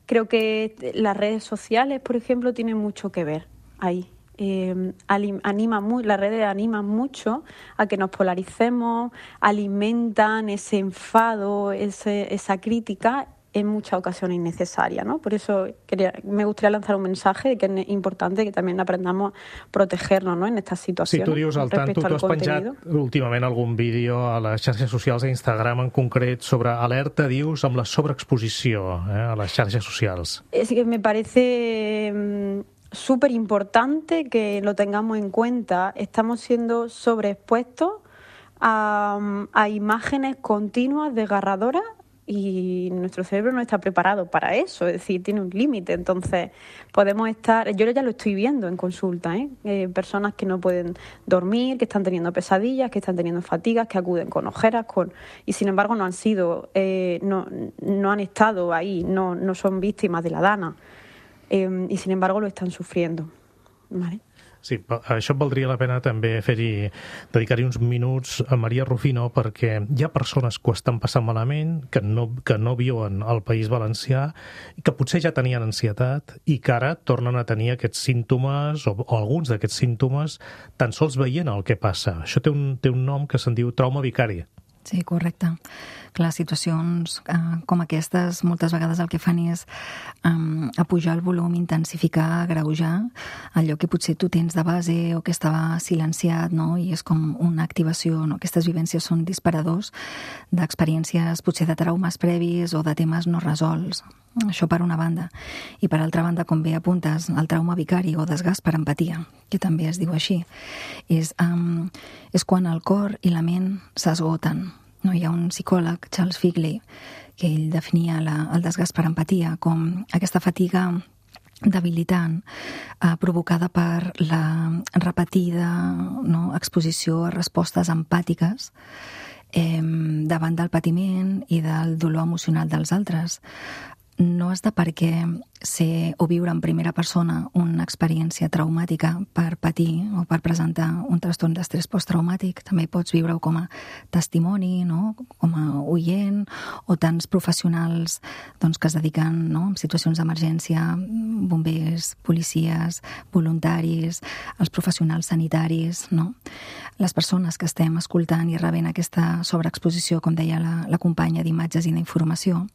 Speaker 5: Creo que las redes sociales, por ejemplo, tienen mucho que ver ahí. Eh, anima muy, las redes animan mucho a que nos polaricemos, alimentan ese enfado, ese, esa crítica en muchas ocasiones innecesaria, ¿no? Por eso quería, me gustaría lanzar un mensaje de que es importante que también aprendamos a protegernos, ¿no?, en estas situacions.
Speaker 2: Sí, tu dius al tanto, tu has penjat últimament algun vídeo a les xarxes socials, a Instagram en concret, sobre alerta, dius, amb la sobreexposició eh, a les xarxes socials.
Speaker 5: Es que me parece mmm, súper importante que lo tengamos en cuenta. Estamos siendo sobreexpuestos a, a imágenes continuas desgarradoras, y nuestro cerebro no está preparado para eso, es decir, tiene un límite. Entonces podemos estar, yo ya lo estoy viendo en consulta, ¿eh? Eh, personas que no pueden dormir, que están teniendo pesadillas, que están teniendo fatigas, que acuden con ojeras, con y sin embargo no han sido, eh, no, no han estado ahí, no, no son víctimas de la dana, eh, y sin embargo lo están sufriendo, ¿vale?
Speaker 2: Sí, això valdria la pena també fer-hi, dedicar-hi uns minuts a Maria Rufino, perquè hi ha persones que ho estan passant malament, que no, que no viuen al País Valencià, i que potser ja tenien ansietat i que ara tornen a tenir aquests símptomes, o, o alguns d'aquests símptomes, tan sols veient el que passa. Això té un, té un nom que se'n diu trauma vicari.
Speaker 6: Sí, correcte. Clar, situacions eh, com aquestes moltes vegades el que fan és um, apujar el volum, intensificar, agreujar allò que potser tu tens de base o que estava silenciat, no? I és com una activació, no? Aquestes vivències són disparadors d'experiències potser de traumes previs o de temes no resolts. Això per una banda. I per altra banda, com bé apuntes, el trauma vicari o desgast per empatia, que també es diu així, és, um, és quan el cor i la ment s'esgoten. No, hi ha un psicòleg, Charles Figley, que ell definia la, el desgast per empatia com aquesta fatiga debilitant eh, provocada per la repetida, no, exposició a respostes empàtiques eh, davant del patiment i del dolor emocional dels altres. No has de per què ser o viure en primera persona una experiència traumàtica per patir o per presentar un trastorn d'estrès posttraumàtic. També pots viure-ho com a testimoni, no? Com a oient, o tants professionals doncs, que es dediquen, no? En situacions d'emergència, bombers, policies, voluntaris, els professionals sanitaris, no? Les persones que estem escoltant i rebent aquesta sobreexposició, com deia la, la companya, d'imatges i d'informació,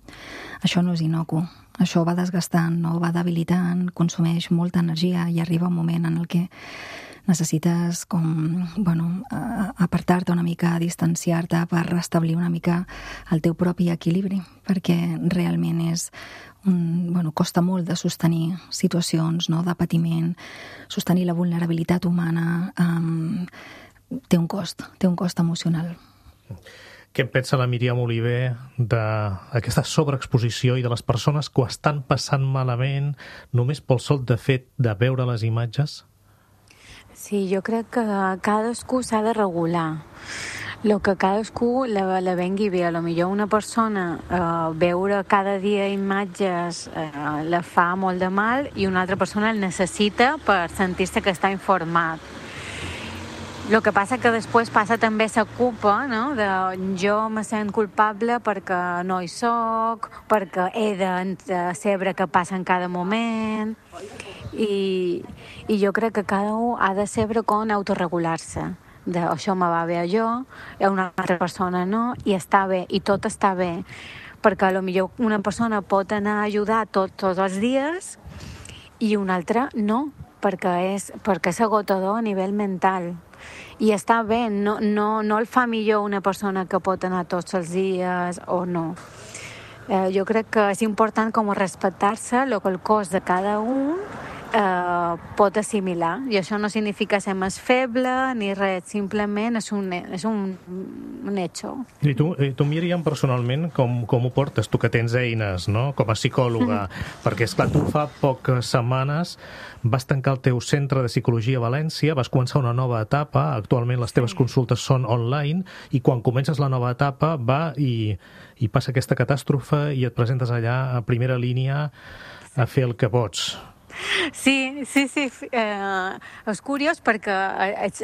Speaker 6: això no és inocu. Això va desgastant, no? Va debilitant, consumeix molta energia i arriba un moment en el que necessites com, bueno, apartar-te una mica, distanciar-te per restablir una mica el teu propi equilibri, perquè realment és un, bueno, costa molt de sostenir situacions, no? De patiment, sostenir la vulnerabilitat humana, um, té un cost, té un cost emocional.
Speaker 2: Què en pensa la Míriam Oliver d'aquesta sobreexposició i de les persones que ho estan passant malament només pel sol de fet de veure les imatges?
Speaker 7: Sí, jo crec que cadascú s'ha de regular. El que cadascú la, la vengui bé. A lo millor una persona eh, veure cada dia imatges eh, la fa molt de mal i una altra persona el necessita per sentir-se que està informat. El que passa que després passa també la culpa, no? De jo me sent culpable perquè no hi soc, perquè he de saber què passa en cada moment. I, i jo crec que cada un ha de saber com autorregular-se. De, això me va bé a jo, a una altra persona no, i està bé, i tot està bé. Perquè potser una persona pot anar a ajudar tot, tots els dies i una altra no, perquè és, perquè és agotador a nivell mental. I està bé, no, no, no el fa millor una persona que pot anar tots els dies o no. Eh, jo crec que és important com respectar-se el que el cos de cada un eh, pot assimilar. I això no significa ser més feble ni res, simplement és un, és un, un hecho.
Speaker 2: I tu, i tu Míriam, personalment, com, com ho portes? Tu que tens eines, no?, com a psicòloga, mm. perquè, esclar, tu fa poques setmanes vas tancar el teu centre de psicologia a València, vas començar una nova etapa, actualment les teves sí. consultes són online, i quan comences la nova etapa va i, i passa aquesta catàstrofe i et presentes allà a primera línia a fer el que pots.
Speaker 7: Sí, sí, sí. Eh, és curiós perquè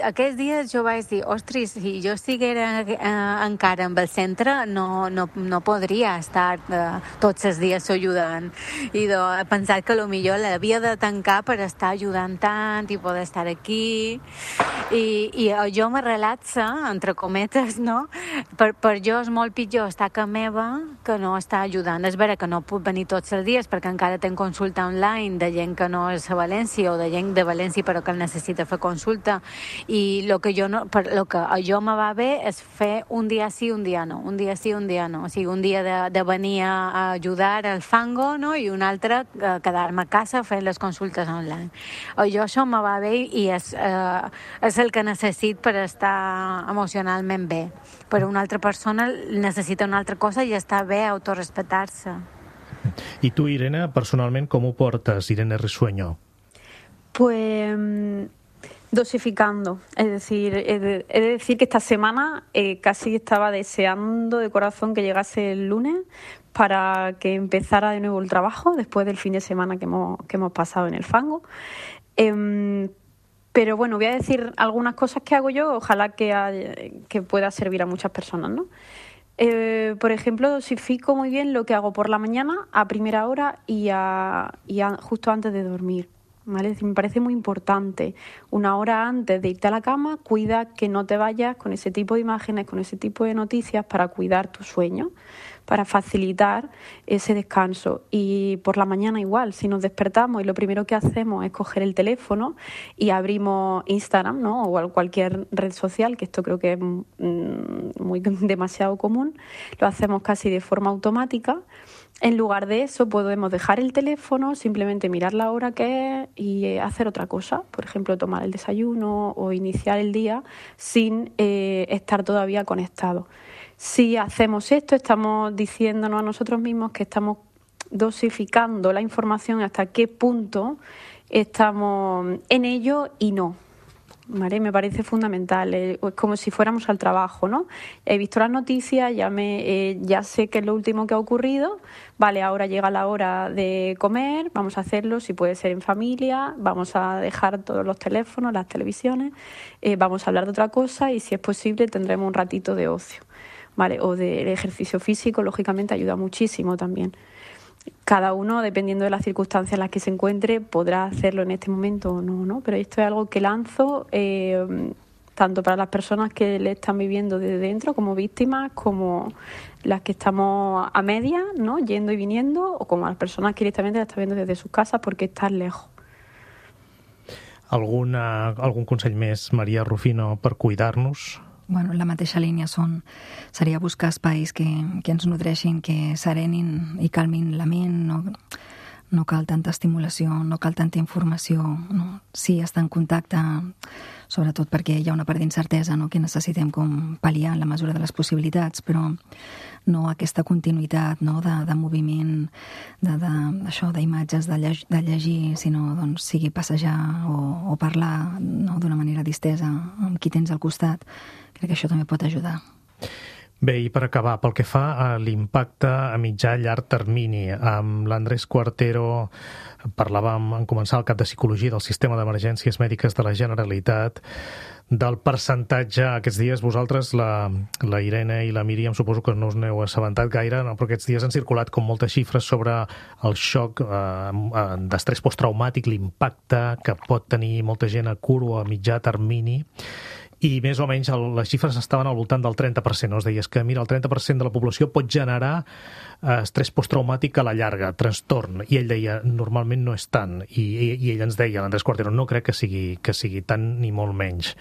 Speaker 7: aquests dies jo vaig dir, ostres, si jo estiguera eh, encara amb el centre no, no, no podria estar eh, tots els dies ajudant. I do, he pensat que potser l'havia de tancar per estar ajudant tant i poder estar aquí. I, i jo me relaxa, entre cometes, no? Per, per jo és molt pitjor estar a casa meva que no estar ajudant. És vera que no puc venir tots els dies perquè encara tenc consulta online de gent que no és a València o de gent de València però que el necessita fer consulta i el que jo no, per lo que a jo me va bé és fer un dia sí, un dia no, un dia sí, un dia no, o sigui, un dia de, de venir a ajudar al fango, no? I un altre eh, quedar-me a casa fent les consultes online. A jo això me va bé i és, eh, és el que necessit per estar emocionalment bé. Però una altra persona necessita una altra cosa i està bé autorrespetar-se.
Speaker 2: I tu, Irene, personalment, com ho portes, Irene Risueño?
Speaker 5: Pues dosificando. Es decir, he de, he de decir que esta semana eh, casi estaba deseando de corazón que llegase el lunes para que empezara de nuevo el trabajo después del fin de semana que hemos, que hemos pasado en el fango. Eh, pero bueno, voy a decir algunas cosas que hago yo, ojalá que, que pueda servir a muchas personas, ¿no? Eh, por ejemplo, dosifico muy bien lo que hago por la mañana a primera hora y, a, y a, justo antes de dormir, ¿vale? Es decir, me parece muy importante. Una hora antes de irte a la cama, cuida que no te vayas con ese tipo de imágenes, con ese tipo de noticias para cuidar tu sueño, para facilitar ese descanso. Y por la mañana igual, si nos despertamos y lo primero que hacemos es coger el teléfono y abrimos Instagram, ¿no? O cualquier red social, que esto creo que es muy demasiado común, lo hacemos casi de forma automática. En lugar de eso podemos dejar el teléfono, simplemente mirar la hora que es y hacer otra cosa, por ejemplo tomar el desayuno o iniciar el día sin eh, estar todavía conectados. Si hacemos esto, estamos diciéndonos a nosotros mismos que estamos dosificando la información hasta qué punto estamos en ello y no. ¿vale? Me parece fundamental, eh, es como si fuéramos al trabajo, ¿no? He visto las noticias, ya, me, eh, ya sé qué es lo último que ha ocurrido, vale, ahora llega la hora de comer, vamos a hacerlo, si puede ser en familia, vamos a dejar todos los teléfonos, las televisiones, eh, vamos a hablar de otra cosa y si es posible tendremos un ratito de ocio, ¿vale? O del ejercicio físico, lógicamente ayuda muchísimo también. Cada uno, dependiendo de las circunstancias en las que se encuentre, podrá hacerlo en este momento o no, ¿no? Pero esto es algo que lanzo eh, tanto para las personas que le están viviendo desde dentro como víctimas, como las que estamos a media, ¿no? Yendo y viniendo, o como las personas que directamente la están viendo desde sus casas porque están lejos.
Speaker 2: Alguna, algun consell més, Maria Rufino, per cuidar-nos?
Speaker 6: Bueno, la mateixa línia són, seria buscar espais que, que ens nodreixin, que serenin i calmin la ment, no, no cal tanta estimulació, no cal tanta informació, no? Sí, estar en contacte, sobretot perquè hi ha una part d'incertesa, no? Que necessitem com pal·liar en la mesura de les possibilitats, però no aquesta continuïtat, no? de, de moviment, de, de, això, d'imatges, de, lleg de llegir, sinó doncs, sigui passejar o, o parlar, no? D'una manera distesa amb qui tens al costat. Crec que això també pot ajudar.
Speaker 2: Bé, i per acabar, pel que fa a l'impacte a mitjà llarg termini, amb l'Andrés Cuartero parlàvem en començar el cap de Psicologia del Sistema d'Emergències Mèdiques de la Generalitat, del percentatge. Aquests dies vosaltres, la, la Irene i la Míriam, suposo que no us n'heu assabentat gaire, no? Però aquests dies han circulat com moltes xifres sobre el xoc eh, d'estrès posttraumàtic, l'impacte que pot tenir molta gent a curt o a mitjà termini, i més o menys el, les xifres estaven al voltant del trenta per cent. No? Es deies que, mira, el trenta per cent de la població pot generar eh, estrès posttraumàtic a la llarga, trastorn, i ell deia, normalment no és tant, i, i, i ell ens deia, l'Andrés Cuartero, no crec que sigui, que sigui tant ni molt menys.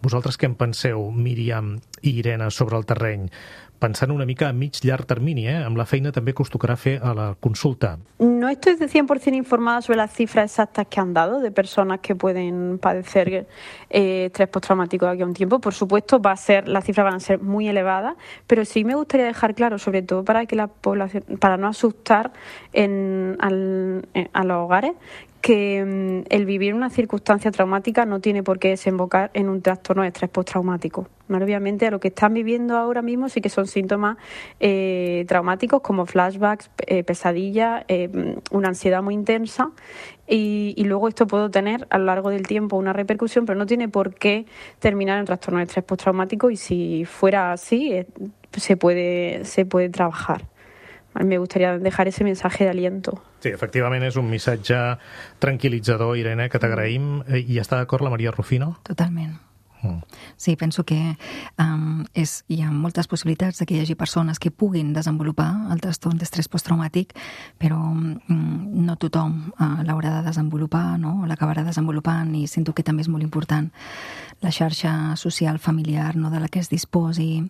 Speaker 2: Vosaltres què en penseu, Míriam i Irene, sobre el terreny? Pensant una mica a mig llarg termini, eh? Amb la feina també que us tocarà fer a la consulta.
Speaker 5: No estoy de cien por ciento informada sobre las cifras exactas que han dado de personas que pueden padecer eh, estrés postraumático de aquí a un tiempo. Por supuesto, va a ser, las cifras van a ser muy elevadas, pero sí me gustaría dejar claro, sobre todo para que la población, para no asustar en, al, en, a los hogares, que um, el vivir una circunstancia traumática no tiene por qué desembocar en un trastorno de estrés postraumático. ¿Vale? Obviamente, a lo que están viviendo ahora mismo sí que son síntomas eh, traumáticos como flashbacks, eh, pesadillas, eh, una ansiedad muy intensa y, y luego esto puede tener a lo largo del tiempo una repercusión, pero no tiene por qué terminar en trastorno de estrés postraumático y si fuera así eh, se puede, se puede trabajar. Me gustaría dejar ese mensaje de aliento.
Speaker 2: Sí, efectivament és un missatge tranquil·litzador, Irene, que t'agraïm. I està d'acord la Maria Rufino?
Speaker 6: Totalment. Sí, penso que um, és, hi ha moltes possibilitats que hi hagi persones que puguin desenvolupar el trastorn d'estrès posttraumàtic, però um, no tothom uh, l'haurà de desenvolupar, no? L'acabarà desenvolupant, i sento que també és molt important la xarxa social familiar, no? De la que es disposi,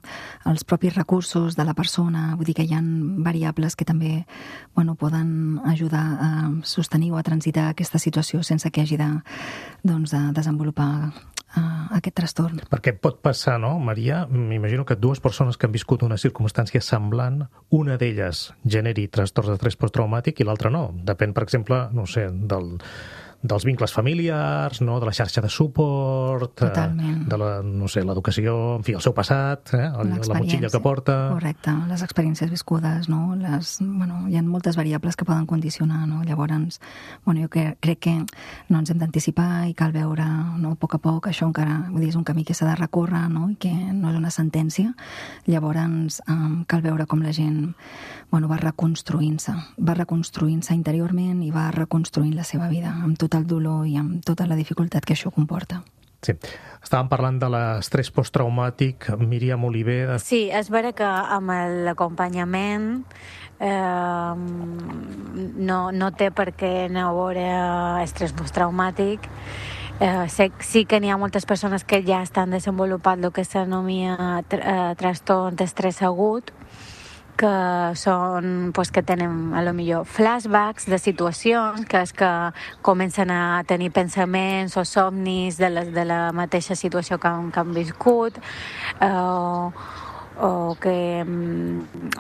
Speaker 6: els propis recursos de la persona. Vull dir que hi ha variables que també, bueno, poden ajudar a sostenir o a transitar aquesta situació sense que hagi de, doncs, de desenvolupar uh, aquest trastorn.
Speaker 2: Perquè pot passar, no, Maria? M'imagino que dues persones que han viscut una circumstància semblant, una d'elles generi trastorn d'estrès posttraumàtic i l'altra no. Depèn, per exemple, no sé, del... dels vincles familiars, no? De la xarxa de suport,
Speaker 6: totalment,
Speaker 2: de la, no sé, l'educació, en fi, el seu passat, eh? La motxilla que porta...
Speaker 6: Correcte, les experiències viscudes, no? Les, bueno, hi ha moltes variables que poden condicionar, no? Llavors, bueno, jo crec, crec que no ens hem d'anticipar i cal veure, no? A poc a poc, això encara, vull dir, és un camí que s'ha de recórrer, no? I que no és una sentència. Llavors, um, cal veure com la gent, bueno, va reconstruint-se, va reconstruint-se interiorment i va reconstruint la seva vida, amb tot el dolor i amb tota la dificultat que això comporta.
Speaker 2: Sí. Estàvem parlant de l'estrès posttraumàtic, Míriam Oliver... De...
Speaker 7: Sí, és vera que amb l'acompanyament eh, no, no té per què no haver estrès posttraumàtic. Eh, sé, sí que n'hi ha moltes persones que ja estan desenvolupant el que s'anomia tr eh, trastorn d'estrès agut, que són, pues, que tenen a lo millor flashbacks de situacions, que és que comencen a tenir pensaments o somnis de la, de la mateixa situació que han, que han viscut, eh, o que,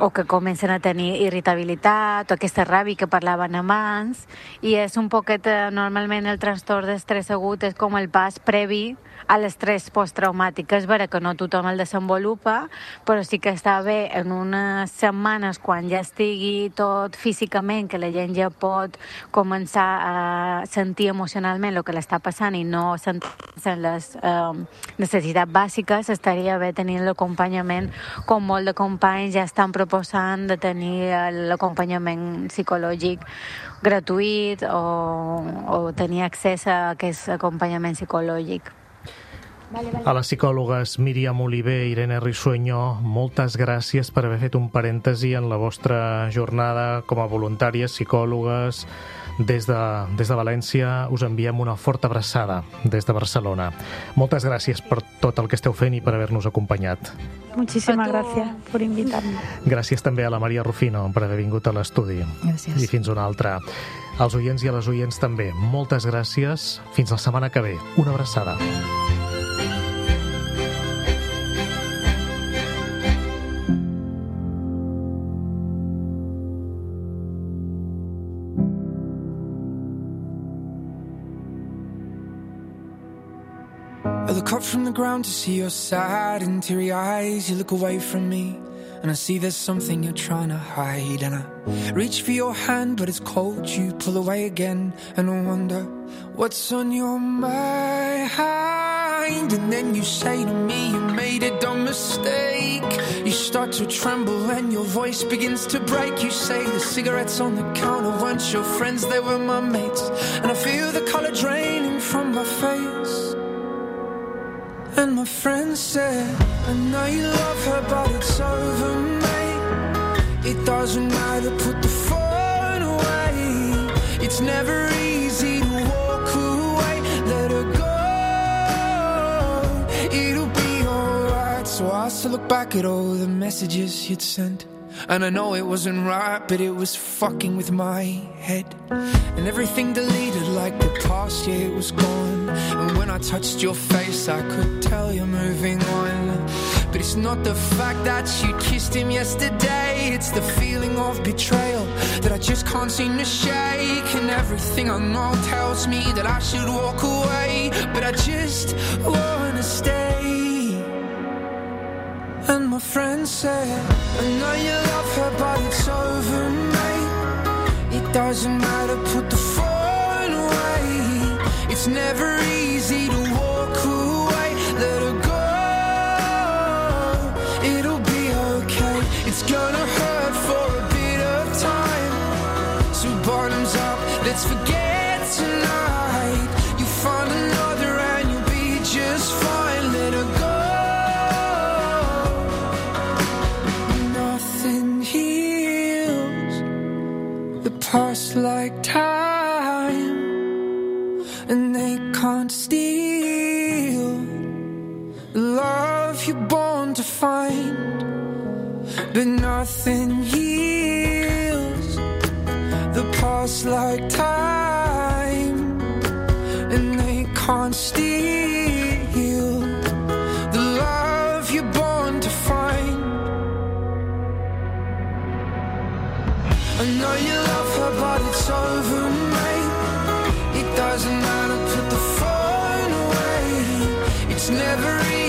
Speaker 7: o que comencen a tenir irritabilitat o aquesta ràbia que parlaven abans, i és un poquet, normalment el trastorn d'estrès agut és com el pas previ a l'estrès posttraumàtic, que és vera que no tothom el desenvolupa, però sí que està bé en unes setmanes quan ja estigui tot físicament, que la gent ja pot començar a sentir emocionalment el que l'està passant i no sentir-se en les eh, necessitats bàsiques, estaria bé tenir l'acompanyament, com molt de companys ja estan proposant de tenir l'acompanyament psicològic gratuït o, o tenir accés a aquest acompanyament psicològic.
Speaker 5: Vale, vale.
Speaker 2: A les psicòlogues Míriam Oliver i Irene Risueño, moltes gràcies per haver fet un parèntesi en la vostra jornada com a voluntàries psicòlogues. Des de, des de València us enviem una forta abraçada des de Barcelona. Moltes gràcies per tot el que esteu fent i per haver-nos acompanyat.
Speaker 5: Muchísimas gracias por invitarme.
Speaker 2: Gràcies també a la Maria Rufino per haver vingut a l'estudi.
Speaker 6: Gràcies.
Speaker 2: I fins una altra. Als oients i a les oients també, moltes gràcies. Fins la setmana que ve. Una abraçada.
Speaker 8: I look up from the ground to see your sad and teary eyes. You look away from me and I see there's something you're trying to hide. And I reach for your hand but it's cold. You pull away again and I wonder what's on your mind. And then you say to me you made a dumb mistake. You start to tremble and your voice begins to break. You say the cigarettes on the counter weren't your friends, they were my mates. And I feel the colour draining from my face. And my friend said, I know you love her, but it's over, mate. It doesn't matter, put the phone away. It's never easy to walk away. Let her go, it'll be alright. So I still look back at all the messages you'd sent. And I know it wasn't right, but it was fucking with my head. And everything deleted like the past, yeah, it was gone. And when I touched your face, I could tell you're moving on. But it's not the fact that you kissed him yesterday, it's the feeling of betrayal that I just can't seem to shake. And everything I know tells me that I should walk away, but I just wanna stay. And my friend said, I know you love her, but it's over, mate. It doesn't matter, put the phone away. It's never easy to walk away. Let her go, it'll be okay. It's gonna hurt for a bit of time. So bottoms up, let's forget tonight. You find another and you'll be just fine. Let her go. Past like time, and they can't steal the love you're born to find. But nothing heals the past like time, and they can't steal the love you're born to find. I know you love her, but it's over, mate. It doesn't matter, put the phone away. It's never easy.